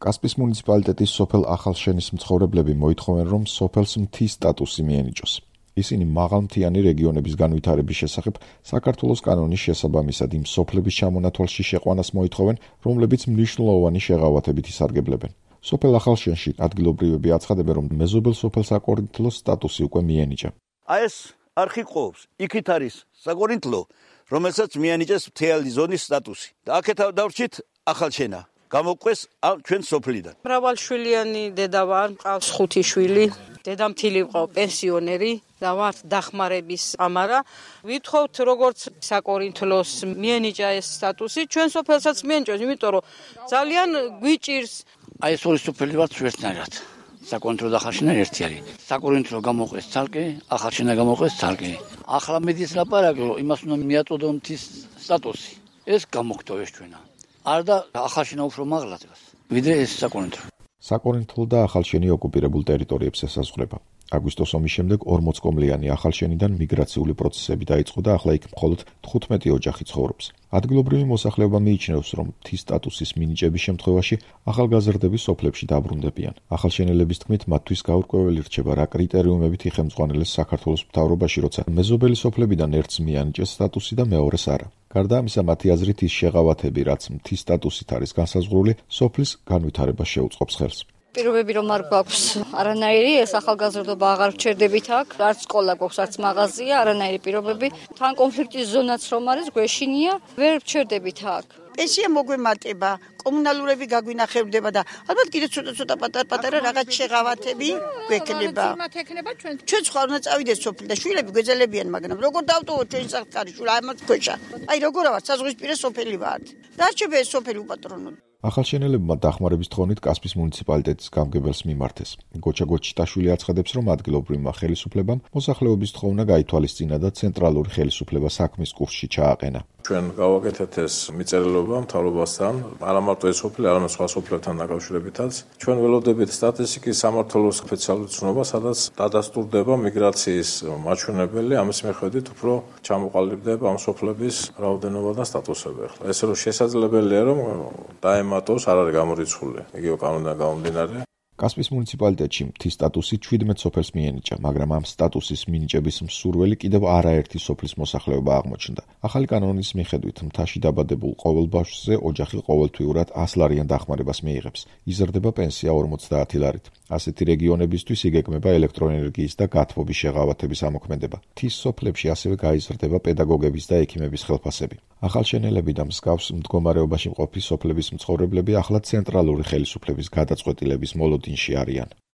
კასპის მუნიციპალიტეტის სოფელ ახალშენის მცხოვრებლები მოითხოვენ, რომ სოფელს მთის სტატუსი მიენიჭოს. ისინი მაღალმთიანი რეგიონების განვითარების შესახებ საქართველოს კანონის შესაბამისად იმ სოფლების ჩამონათვალში შეყვანას მოითხოვენ, რომლებიც მნიშვნელოვანი შეღავათებით ისარგებლებენ. სოფელ ახალშენში ადგილობრივები აცხადებენ, რომ მეზობელ სოფელ საკორინთლოს სტატუსი უკვე მიენიჭა. აი ეს არხი ყოფს, იქით არის საკორინთლო, რომელსაც მიენიჭეს მთიანი ზონის სტატუსი. და აქეთ დავრჩით ახალშენა. გამოყვეს ჩვენ სოფლიდან. მრავალშვილიანი დედა ვარ, მყავს 5 შვილი. დედამთილი ვყავ პენსიონერი და ვარ დახმარების ამარა. ვითხოვთ როგორც საკორინთლოს მიენიჭა ეს სტატუსი, ჩვენ სოფელსაც მიენიჭოს, იმიტომ რომ ძალიან გვიჭირს. აი ეს ორი სოფელი ვართ ერთნაირად. საკორინთლო და ახალშენა ერთი არის. საკორინთლო გამოყვეს ცალკე, ახალშენა გამოყვეს ცალკე. ახლა მედის ლაპარაკი, რომ იმას უნდა მიაწოდო მთის სტატუსი. ეს გამოხდო ეს ჩვენა. არ და ახალშენა უფრო მაღლა დგას, ვიდრე ეს საკორინთლო. საკორინთლო და ახალშენი ოკუპირებულ ტერიტორიებს ესაზღვრება. აგვისტოს ომის შემდეგ 40-კომლიანი ახალშენიდან მიგრაციული პროცესები დაიწყო და ახლა იქ მხოლოდ 15 ოჯახი ცხოვრობს. ადგილობრივი მოსახლეობა მიიჩნევს, რომ მთის სტატუსის მინიჭების შემთხვევაში ახალგაზრდები სოფლებში დაბრუნდებიან. ახალშენელების თქმით, მათთვის გაურკვეველი რჩება, რა კრიტერიუმებით იხემძღვანელეს საქართველოს მთავრობაში, როცა მეზობელი სოფლებიდან ერთს მიანიჭეს სტატუსი და მეორეს არა. გარდა ამისა, მათი აზრით ის შეღავათები, რაც მთის სტატუსით არის განსაზღვრული, სოფლის განვითარებას შეუწყობს ხელს. პირობები რომ არ გვაქვს არანაირი, ეს ახალგაზრდობა აღარ ვჩერდებით აქ, არც სკოლა გვაქვს, არც მაღაზია, არანაირი პირობები. თან კონფლიქტის ზონაც რომ არის, გვეშინია, ვერ ვჩერდებით აქ. პენსია მოგვემატება, კომუნალურები გაგვინახებდება და ალბათ კიდე ცოტა პატარ-პატარა რაღაც შეღავათები გვექნება. ჩვენ სხვა უნდა წავიდეს სოფლი და შვილები გვეძლებიან, მაგრამ როგორ დავტოვოთ ჩვენ საკარი შვილა ამას ქვეშა. აი როგორ ვარ, საზღვისპირა სოფელი ვართ. დარჩება ეს სოფელი უპატრონო. ახალშენელებმა დახმარების თხოვნით კასპის მუნიციპალიტეტის გამგებელს მიმართეს. გოჩა გოჩიტაშვილი აცხადებს, რომ ადგილობრივმა ხელისუფლებამ მოსახლეობის თხოვნა გაითვალისწინა და ცენტრალური ხელისუფლება საქმის კურსში ჩააყენა. ჩვენ გავაკეთეთ ეს მიწერილობა მთავრობასთან, არა მარტო ეს სოფელი, არამედ სხვა სოფლებთან დაკავშირებითაც. ჩვენ ველოდებით სტატისტიკის სამმართველოს სპეციალური ცნობა, სადაც დადასტურდება მიგრაციის მაჩვენებელი, ამის მიხედვით უფრო ჩამოყალიბდება ამ სოფლების რაოდენობა და სტატუსები. ესე რომ შესაძლებელია, რომ დაემატოს, არ არის გამორიცხული, იგივე კანონიდან გამომდინარე. კასპის მუნიციპალიტეტში მთის სტატუსი 17 სოფელს მიენიჭა, მაგრამ ამ სტატუსის მინიჭების მსურველი კიდევ არაერთი სოფლის მოსახლეობა აღმოჩნდა. ახალი კანონის მიხედვით მთაში დაბადებულ ყოველ ბავშვზე ოჯახი ყოველთვიურად 100 ლარიან დახმარებას მიიღებს. იზრდება პენსია 50 ლარით. ასეთი რეგიონებისთვის იგეგმება ელექტროენერგიის და გათბობის შეღავათების ამოქმედება. მთის სოფლებში ასევე გაიზრდება პედაგოგების და ექიმების ხელფასები. ახალშენელები და მსგავს მდგომარეობაში მყოფი სოფლების მცხოვრებლები ახლა ცენტრალური ხელისუფლების გადაწყვეტილების მოლოდინში არიან.